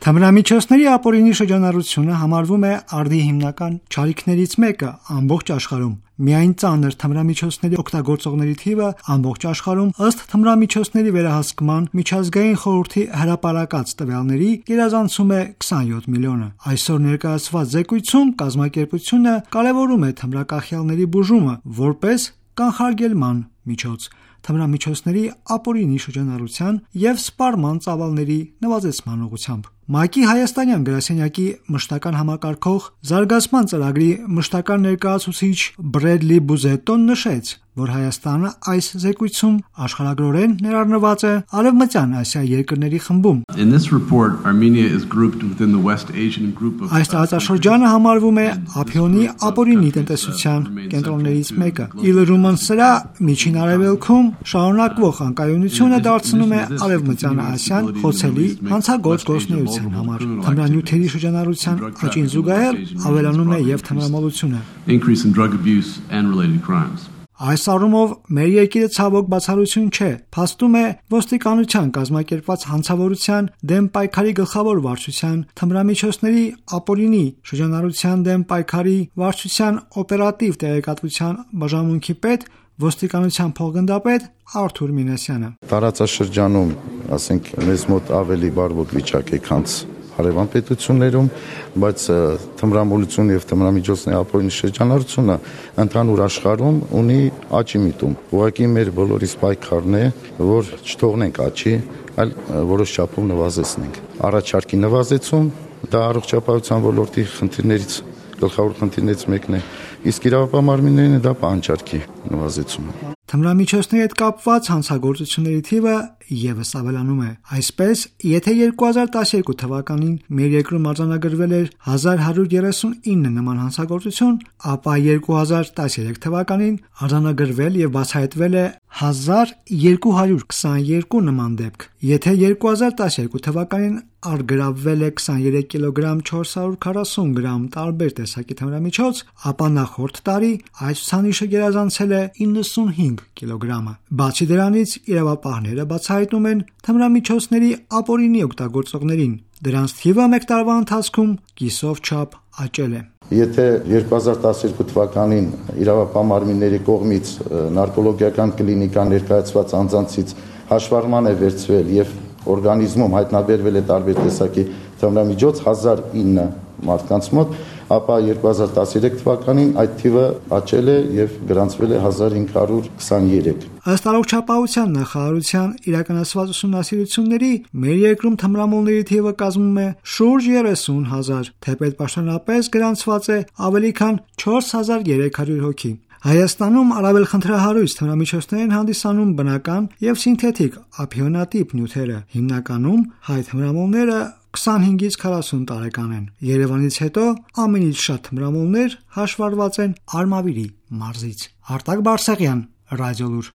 Թմրամիջոցների ապօրինի շրջանառությունը համարվում է արդի հիմնական չարիքներից մեկը ամբողջ աշխարհում։ Միայն ծանր թմրամիջոցների օգտագործողների թիվը ամբողջ աշխարհում ըստ թմրամիջոցների վերահսկման միջազգային խորհրդի հրապարակած տվյալների գերազանցում է 27 միլիոնը։ Այսօր ներկայացված զեկույցում կազմակերպությունը կարևորում է թմրակախյալների բուժումը որպես կանխարգելման միջոց, թմրամիջոցների ապօրինի շրջանառության և սպառման ծավալների նվազեցման ուղղությամբ։ ՄԱԿ-ի հայաստանյան գրասենյակի մշտական համակարգող զարգացման ծրագրի մշտական ներկայացուցիչ Բրեդլի Բուզետոն նշեց, որ Հայաստանը այս զեկույցում աշխարհագրորեն ներառնված է Արևմտյան Ասիայի երկրների խմբում։ Այս տարածաշրջանը համարվում է ափիոնի ապօրինի տնտեսության կենտրոններից մեկը։ Ի լրումն սրա, Միջին Արևելքում շարունակվող անկայունությունը դարձնում է Արևմտյան Ասիան խոցելի հանցագործ գործունեության համար։ Թմրանյութերի շրջանառության աճին զուգահեռ ավելանում է և թմրամոլությունը։ Այս առումով մեր երկիրը ցավոք բացառություն չէ, փաստում է ոստիկանության կազմակերպված հանցավորության դեմ պայքարի գլխավոր վարչության թմրամիջոցների ապօրինի շրջանառության դեմ պայքարի վարչության օպերատիվ տեղեկատվության բաժանմունքի պետ, ոստիկանության փոխգնդապետ Արթուր Մինասյանը։ Տարածաշրջանում, ասենք, մեզ մոտ ավելի բարվոք վիճակ է, քան հարևան պետություններում, բայց թմրամոլություն եւ թմրամիջոցների ապօրինի շրջանառությունը ընդհանուր աշխարհում ունի աճի միտում։ Ուղղակի մեր բոլորիս պայքարն է, որ չթողնենք աճի, այլ որոշ չափով նվազեցնենք։ Առաջարկի նվազեցում դա առողջապահության ոլորտի գլխավոր խնդիրներից մեկն է, իսկ իրավապահ դա պահանջարկի նվազեցումը։ Թմրամիջոցների հետ կապված հանցագործությունների թիվը ևս ավելանում է։ Այսպես, եթե 2012 թվականին մեր երկրում արձանագրվել էր 1139 նման հանցագործություն, ապա 2013 թվականին արձանագրվել և բացահայտվել է 1222 նման դեպք։ Եթե 2012 թվականին առգրավվել է 23 կիլոգրամ 440 գրամ տարբեր տեսակի թմրամիջոց, ապա նախորդ տարի այս ցուցանիշը գերազանցել է 95 կիլոգրամը։ Բացի դրանից, իրավապահները բացահայտում են թմրամիջոցների ապօրինի օգտագործողներին։ Դրանց թիվը մեկ տարվա ընթացքում կիսով չափ աճել է։ Եթե 2012 թվականին իրավապահ մարմինների կողմից նարկոլոգիական կլինիկա ներկայացված անձանցից հաշվառման է վերցվել եւ օրգանիզմում հայտնաբերվել է տարբեր տեսակի թմրամիջոց 1009 մարդկանց մոտ, ապա 2013 թվականին այդ թիվը աճել է եւ գրանցվել է 1523։ Ըստ առողջապահության նախարարության իրականացված ուսումնասիրությունների, մեր երկրում թմրամոլների թիվը կազմում է շուրջ 30,000, թեպետ պաշտոնապես գրանցված է ավելի քան 4300 հոգի։ Հայաստանում առավել խնդրահարույց թմրամիջոցներ են հանդիսանում բնական և սինթետիկ ափիոնատիպ նյութերը։ Հիմնականում հայ թմրամոլները 25-ից 40 տարեկան են։ Երևանից հետո ամենից շատ թմրամոլներ հաշվառված են Արմավիրի մարզից։ Արտակ Բարսեղյան, Ռադիոլուր։